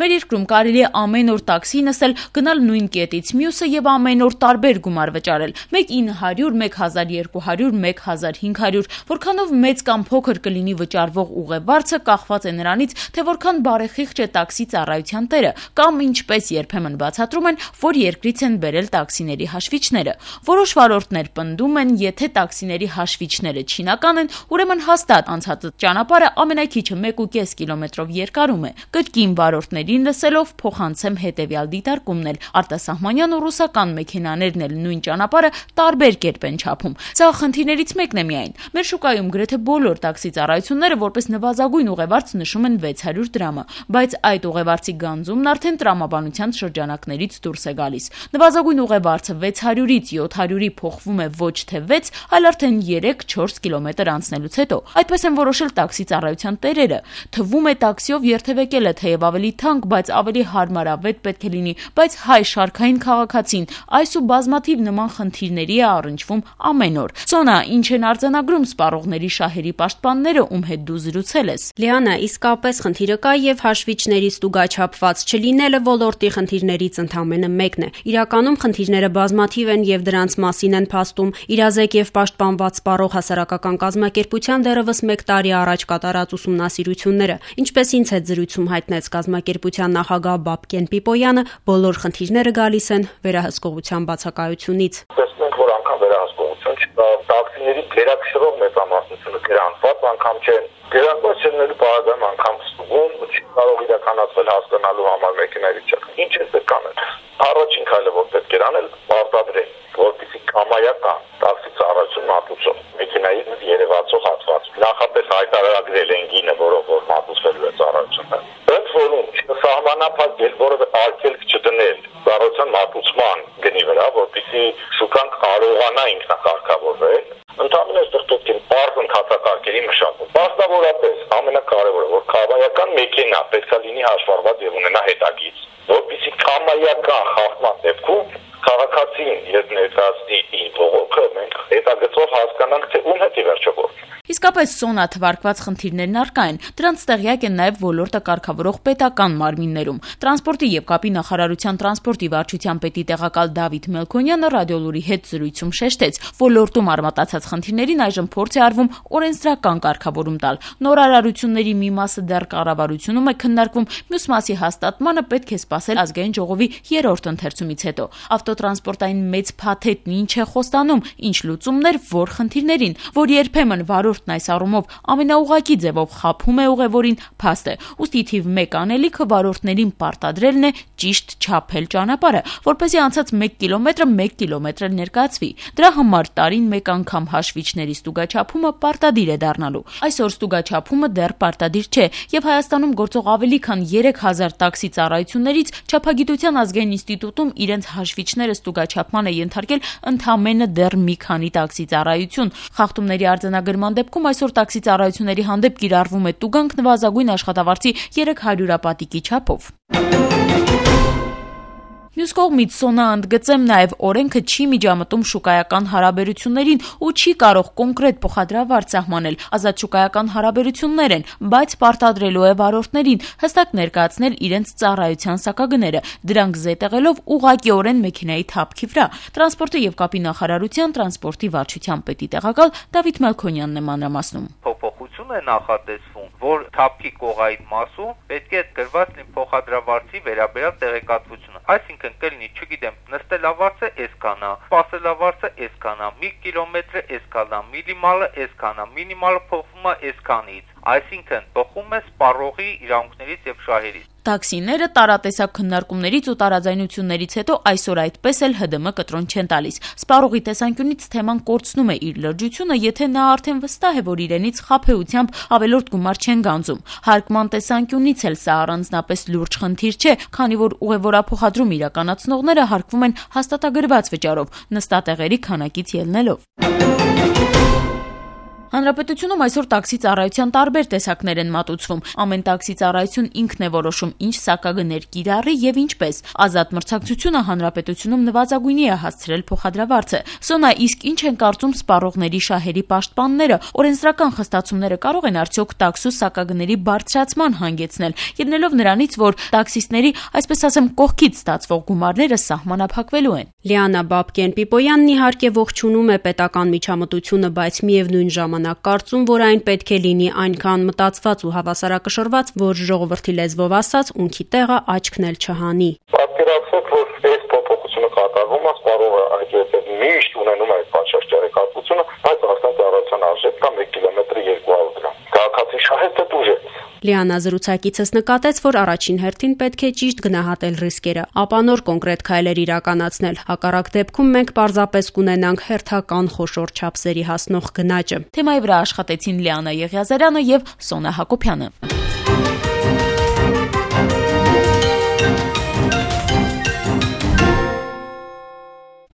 Մեր երկրում կարելի է ամեն օր տաքսի նստել, գնալ նույն կետից մյուսը եւ ամեն օր տարբեր գումար վճարել։ 1.900, 1.200, 1.500, որքանով մեծ կամ փոքր կլինի վճարվող ուղևորցը կախված է նրանից, թե որքան բարեխիղճ է տաքսի ծառայության տերը, կամ ինչպես երբեմն բացատրում են, որ երկրից են բերել տաքսիների հաշվիչները։ Որոշ վարորդներ պնդում են, եթե տաքսիների հաշվիչները չինական են, ուրեմն հաստատ անցած ճանապարհը ամենաքիչը 1.5 կիլոմետրով երկարում է։ Կրկին վարորդներին լսելով փոխանցեմ հետևյալ դիտարկումն էլ արտասահմանյան ու ռուսական մեքենաներն էլ նույն ճանապարհը տարբեր կերպ են չափում։ Սա խնդիրներից մեկն է միայն։ Մեր շուկայում գրեթե բոլոր տաքսի ծառայությունները որպես նվազագույն ուղևորց նշում են 600 դրամը, բայց այդ ուղևորցի գանձումն արդեն տրամաբանության շրջանակներից դուրս է գալիս։ Նվազագույն ուղևորցը 600-ից 700-ի փոխվում է ոչ թե 6, այլ արդեն 3-4 կիլոմետր անցնելուց հետո։ Այդպես են որոշել տաքսի ծառայության տերերը։ Թվում է տաքսիով երթևեկելը թեև ավելի թանկ, բայց ավելի հարմարավետ պետք է լինի, բայց հայ շարքային քաղաքացին այս ու բազմաթիվ նման խնդիրների է առնչվում ամեն օր։ Սոնա, ինչ են արձանագրում սպառողների շահերի պաշտպանները, ում հետ դու զրուցել ես։ Լիանա, իսկապես խնդիրը կա եւ հաշվիչների ստուգաչափված չլինելը ոլորտի խնդիրներից ընդամենը մեկն է։ Իրականում խնդիրները բազմաթիվ են եւ դրանց մասին են փաստում իրազեկ եւ պաշտպանված սպառող հասարակական կազմակերպության դեռևս 1 տարի առաջ կատարած ուսումնասիրությունները։ Ինչպես ինձ հետ զրույցում հայտնեց կազմակերպության նախագահ Բաբկեն Պիպոյանը, բոլոր խնդիրները գալիս են վերահսկողության բացակայությունից։ Տեսնենք, որ անգամ վերահսկողություն չկա, տաքսիների գերակշռող մեծամասնությունը գրանցված անգամ չեն։ Գրանցված չլինելու պարագայում անգամ ստուգում չի կարող իրականացվել հասկանալու համար մեքենայի վիճակը։ Ինչ է պետք անել։ Առաջին քայլը, որ պետք է անել, պարտադրել, որպեսզի կամայական տաքսի ծառայություն մատուցող մեքենայի երևացող հատված նախապես հայտարարագրել են գինը, որով որ մատուցվելու է ծառայությունը։ Ընդ որում սահմանափակ որևէ արգելք չդնել ծառայության մատուցման գնի վրա, որպեսզի շուկան կարողանա ինքնակարգավորվել, ընդհանրապես այստեղ պետք է բարձր ընթացակարգերի մշակում։ Մասնավորապես ամենակարևորը, որ կամայական մեքենա պետք է լինի հաշվառված եւ ունենա հետագիծ, որպեսզի կամայական խախտման դեպքում քաղաքացին երբ ներկայացնի իր բողոքը, մենք հետագծով հասկանանք, թե ում հետ է վերջը գործում։ Իսկապես Սոնա թվարկված խնդիրներն առկա են։ Դրանց տեղյակ են նաև ոլորտը կարգավորող պետական մարմիններում։ Տրանսպորտի եւ կապի նախարարության տրանսպորտի վարչության պետի տեղակալ Դավիթ Մելքոնյանը ռադիոլուրի հետ զրույցում շեշտեց, ոլորտում արմատացած խնդիրներին այժմ փորձ է արվում օրենսդրական կարգավորում տալ։ Նորարարությունների մի մասը դեռ կառավարությունում է քննարկվում, մյուս մասի հաստատմանը պետք է սպասել ազգային ժողովի 3-րդ ընթերցումից հետո։ Ավտոտրանսպորտային մեծ փաթեթն ինչ է խոստանում, ինչ լուծումներ, որ խնդիրներին, որ երբեմն վարորդն այս առումով ամենաուղղակի ձևով խաբում է ուղևորին, փաստ է։ Ուստի թիվ 1 անելիքը վարորդներին պարտադրելն է ճիշտ չափել ճանապարհը, որպեսզի անցած 1 կիլոմետրը 1 կիլոմետր ներկայացվի։ Դրա համար տարին 1 անգամ հաշվիչների ստուգաչափումը պարտադիր է դառնալու։ Այսօր ստուգաչափումը դեռ պարտադիր չէ, եւ Հայաստանում գործող ավելի քան 3000 տաքսի ծառայություններից Չափագիտության ազգային ինստիտուտում իրենց հաշվիչները ստուգաչափման է ենթարկել ընդամենը դեռ մի քանի տաքսի ծառայություն։ Խախտումների արձանագրման դեպքում այսօր տաքսի ծառայությունների հանդեպ կիրառվում է տուգանք նվազագույն աշխատավարձի 300-ապատիկի չափով։ Մյուս կողմից Սոնա ընդգծեմ նաև օրենքը չի միջամտում շուկայական հարաբերություններին ու չի կարող կոնկրետ փոխադրավարձ սահմանել, ազատ շուկայական հարաբերություններ են, բայց պարտադրելու է վարորդներին հստակ ներկայացնել իրենց ծառայության սակագները, դրանք զետեղելով ուղղակիորեն մեքենայի թափքի վրա։ Տրանսպորտի եւ կապի նախարարության տրանսպորտի վարչության պետի տեղակալ Դավիթ Մելքոնյանն է մանրամասնում։ Փոփոխություն է նախատեսվում, որ թափքի կողային մասում պետք է գրված լինի փոխադրավարձի վերաբերյալ տեղեկատվությունը։ Այսինքն կլինի, չգիտեմ, նստելավարձը այսքան է, սպասելավարձը այսքան է, 1 կիլոմետրը այսքան է, մինիմալը այսքան է, մինիմալը փոխվում է այսքանից։ Այսինքն բխում է սպառողի իրավունքներից եւ շահերից։ Տաքսիները տարատեսակ քննարկումներից ու տարաձայնություններից հետո այսօր այդպես էլ ՀԴՄ կտրոն չեն տալիս։ Սպառողի տեսանկյունից թեման կորցնում է իր լրջությունը, եթե նա արդեն վստահ է, որ իրենից խաբեությամբ ավելորդ գումար չեն գանձում։ Հարկման տեսանկյունից էլ սա առանձնապես լուրջ խնդիր չէ, քանի որ ուղևորափոխադրում իրականացնողները հարկվում են հաստատագրված վճարով, նստատեղերի քանակից ելնելով։ Հանրապետությունում այսօր տաքսի ծառայության տարբեր տեսակներ են մատուցվում։ Ամեն տաքսի ծառայություն ինքն է որոշում ինչ սակագներ կիրառի եւ ինչպես։ Ազատ մրցակցությունը հանրապետությունում նվազագույնի է հասցրել փոխադրավարձը։ Սոնա, իսկ ինչ են կարծում սպառողների շահերի պաշտպանները, օրենսդրական խստացումները կարող են արդյոք տաքսու սակագների բարձրացման հանգեցնել, ելնելով նրանից, որ տաքսիստների, այսպես ասեմ, կողքից ստացվող գումարները սահմանափակվելու են։ Լիանա Բաբկեն-Պիպոյանն իհարկե ողջունում է պետական միջամտությունը, բայց միևնույն ժամանակ կարծում, որ այն պետք է լինի այնքան մտածված ու հավասարակշռված, որ ժողովրդի լեզվով ասած ունքի տեղը աչքն էլ չհանի։ Պատկերացրեք, որ այս փոփոխությունը կատարվում է, սպառողը այդպես միշտ ունենում է այդ պատշաճարի կատվությունը, բայց արդեն ծառայության արժեքը 1 կիլոմետրի 200 դրամ։ Քաղաքացի շահերը դուժ է։ Լիանա զրուցակիցս նկատեց, որ առաջին հերթին պետք է ճիշտ գնահատել ռիսկերը, ապա նոր կոնկրետ քայլեր իրականացնել։ Հակառակ դեպքում մենք պարզապես կունենանք հերթական խոշոր չափսերի հասնող գնաճը։ Թեմայի վրա աշխատեցին Լիանա Եղիազարյանը եւ Սոնա Հակոբյանը։